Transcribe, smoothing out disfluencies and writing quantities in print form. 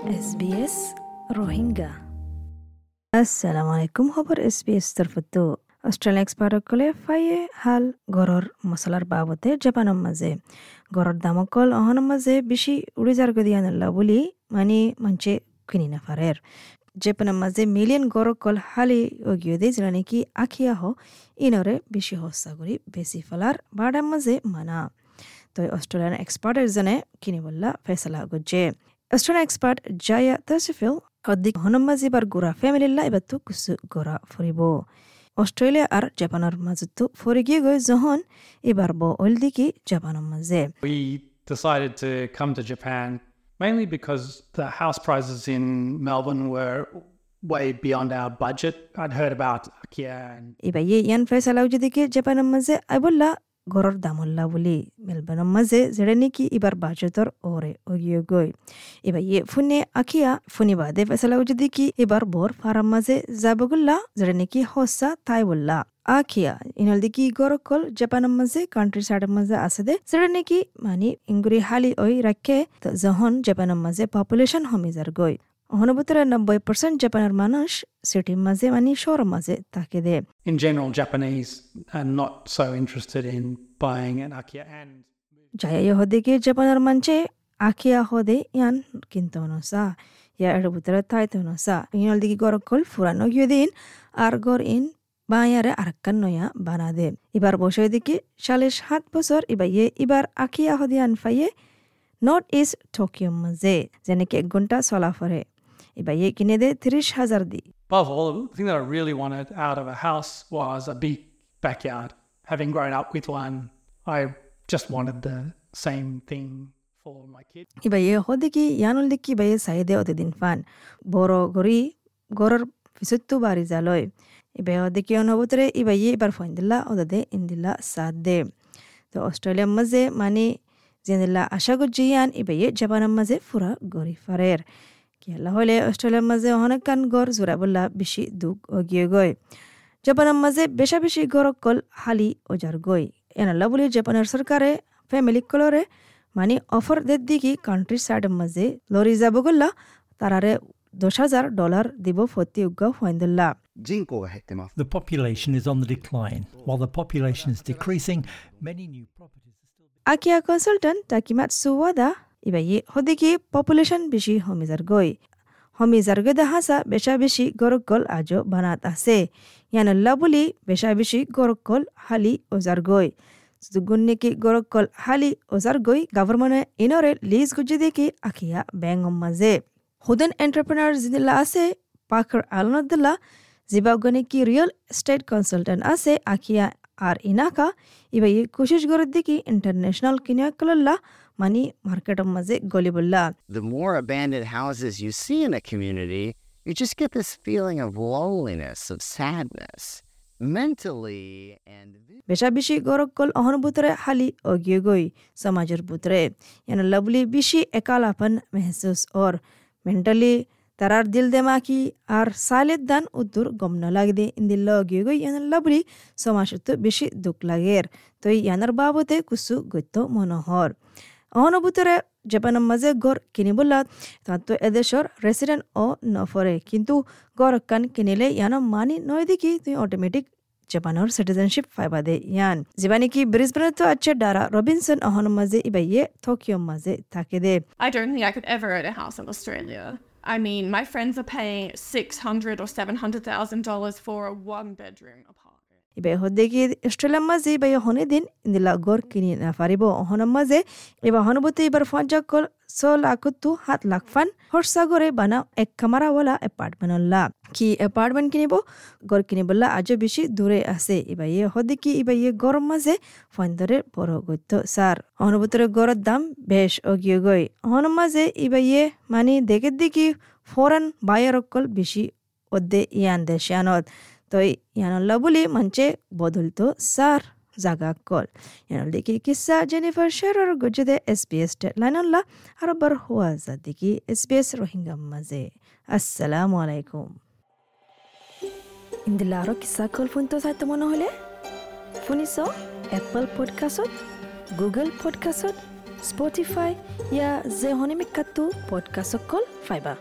SBS Rohingya. আসসালামু আলাইকুম। খবৰ SBS তৰফতো অস্ট্ৰেলিয়া এক্সপাৰ্টসকলে ফাইয়ে হাল গড়ৰ মছলাৰ বাবতে জাপানৰ মাজে গড়ৰ দামকল অহনৰ মাজে বেছি উৰি যাৰ গদি আনলা বুলি মানে মঞ্চে কিনি নাফাৰেৰ। জাপানৰ মাজে মিলিয়ন গড়কল হালি অগিয়ে দে, যেনে নাকি আখিয়া হ ইনৰে বেছি সস্তা কৰি বেছি ফেলাৰ বাডাৰ মাজে মানা। তো অস্ট্রেলিয়ান এক্সপার্ট এজনে কিনিবল্লা ফেসলা গজ্জে। অস্ট্রেলিয়ান এক্সপার্ট জায়া তসফিল অধিক হনমাজি এবার গোরা ফ্যামিলিল্লা এবার তো কিছু গোরা ফুরিব। অস্ট্রেলিয়া আর জাপানের মাজতো ফুরি গিয়ে গই যখন এবার ব ওল দিকে জাপানের মাঝে। We decided to come to Japan mainly because the house prices in Melbourne were way beyond our budget. I'd heard about Akiya and এবার ইয়ান ফেসলা যদি জাপানের মাঝে আইবল্লা গড়ৰ দামল্লা বুলি মেলবৰ্ণৰ মাজে যেৰে নেকি এবাৰ বাজেটৰ ওৰে অগিয়ে গৈ। এবাৰ ইয়ে ফোনে আখিয়া ফোনে বাদে ফেসলা যদি কি এবাৰ বৰ ফাৰাম মাজে যাবগুল্লা, যেৰে নেকি সঁচা তাই বললা আখিয়া ইনল দিকি গড়কল জাপানের মাঝে কান্ট্রি সাইডের মাঝে আছে দে, যেটা নাকি মানে ইংগুরি হালি ওই রাখে। যখন জাপানের মাঝে পপুলেশন হমি যার গই অনুভূতরে 90% জাপানের মানুষ সিটির মাঝে মানে শহরের মাঝে থাকে দে। In general, Japanese are not so interested in buying an Akiya and যায় হদে জাপানের মানছে আখিয়া হদে ইয়ান কিন্তু নসা ইয়া এর ভিতরে থাইতে নসা। ইনল দিকে গরকল ফুরানো গিয়ে দিন আর গর ইন বায়ারে আরাক্কান নয়া বানা দে। এবার বসে দিকে 47 বছর এবার ইয়ে এবার আখিয়া হদে আন ফাইয়ে নর্থ ইস্ট টোকিও মাঝে, যেনেকে 1 ঘন্টা চলা ফরে। এবার ইয়ে কিনে দে 30,000 দি। Above all, the thing that I really wanted out of a house was a big backyard. Having grown up with one, I just wanted the same thing for my kids. এবার ইয়ে হদে কি ইয়ানুল দেখি বা ইয়ে চাহিদে অতদিন ফান বড় গড়ি গড়ের পিছতো বাড়ি যালয়। এবার দেখি অনুভূতরে এবার ইয়ে এবার ফোন দিলা ওদে ইন্দিলা সাথ দে। তো অস্ট্রেলিয়ার মাঝে মানে জেনিলা আশা করছি ইয়ান এবার ইয়ে জাপানের মাঝে ফুরা গড়ি ফারের কেলা হলে অস্ট্রেলিয়ার মাঝে অনেকখান গড় জোড়া বললা বেশি দুঃখ অগিয়ে গই। জাপানের মাঝে বেশা বেশি গড়কল হালি ওজার গই এনাল্লা বলে জাপানের সরকারে ফ্যামিলি কলরে মানে অফার দের দিকে কান্ট্রি সাইডের মাঝে লরি যাব গল্লা তারারে $10,000 দিব ফতি উগ্গা ফাইন্দুল্লাহ। The population is on the decline. While the population is decreasing, many new properties are still Akiya consultant Takimatsu Wada ইবাই হদিকি population বেশি হমিজার গই হমিজার গই হাসা বেশা বেশি গরকল আজও বানাত আছে ইয়ানল্লা বলি বেশা বেশি গরকল হালি ওজার গই গুন্নিকি গরকল হালি ওজার গই গভর্নমেন্টে ইনরে লিজ গুজি দেখি আকিয়া ব্যাঙ্গ মাঝে হুদেন এন্টারপ্রেনার জিদিল্লা আছে পাখর আলনদুল্লাহ জিবাগনে কি রিয়েল এস্টেট কনসালটেন্ট আছে আখিয়া আর ইনাকা ইবাই কোশিশ করে দেখি ইন্টারন্যাশনাল কিনাকল্লা মানে মার্কেটের মাঝে গলি বললা। The more abandoned houses you see in a community, you just get this feeling of loneliness, of sadness, mentally and বেশা বেশি গরকল অহনুভূতরে হালি অগিয়ে গই সমাজের ভিতরে ইয়ান লাভলি বেশি একালাপন মেহসুস ওর মেন্টালি তারার দিল দেমাকি আর সালের দান উদ্দুর গম ন লাগে দে ইন্দিল্লা গিয়ে গই ইয়ানার লাবলি সমাজত বেশি দুঃখ লাগের। তো ইয়ানার বাবতে কুসু গত্য মনোহর অহনুভূতরে জাপানের মাঝে গড় কিনিবলা তো এদেশের রেসিডেন্ট ও নফরে, কিন্তু গড় কান কিনিলে ইয়ানো মানি নয় দেখি তুই অটোমেটিক জাপানের সিটিজেনশিপ ফাইবা দে ইয়ান যিবা নাকি ব্রিসবেনে তো আছে ডারা রবিনসন অহন মাঝে ইবাইয়ে টোকিও মাঝে থাকে দে। I don't think I could ever own a house in Australia. I mean, my friends are paying $600,000 or $700,000 for a one-bedroom apartment. ইবাই হদে কি অস্ট্রেলিয়ার মাঝে ইবাই হনে দিন ইন্দিলা গড় কিনি না পারিব অহনের মাঝে এবার হনুভূতি এবার ফঞ্জাকল 6 লাখ তু 7 লাখ ফান হর্ষা করে বানা এক কামারাওয়ালা অ্যাপার্টমেন্ট কি অ্যাপার্টমেন্ট কিনিব গড় কিনিবলা আজও বেশি দূরে আছে। এবার ইয়ে হদে কি এবার ইয়ে গরম মাঝে ফন্দরের বড় গত্য সার অনুভূতরে গড়ের দাম বেশ অগিয়ে গই অহন মাঝে এবার ইয়ে মানে দেখে দেখি ফরেন বায়ার অকল বেশি অদ্দে ইয়ান দেশানত। তো ইয়ানল্লা বলি মঞ্চে বদলতো সার জাগা কল ইয়ানল দেখি কিসা জেনিফার শেরর গজদে SBS লাইনল্লা আর বার হুয়া দেখি SBS Rohingya মাঝে। আসসালামু আলাইকুম। ইন্দিলা আরো কিসা কল ফোন তো চাইতে মনে হলে শুনিছ এপল পডকাষ্টত, গুগল পডকাষ্টত, স্পটিফাই ইয়া যে হনিমিকাটো পডকাষ্টকল ফাইবা।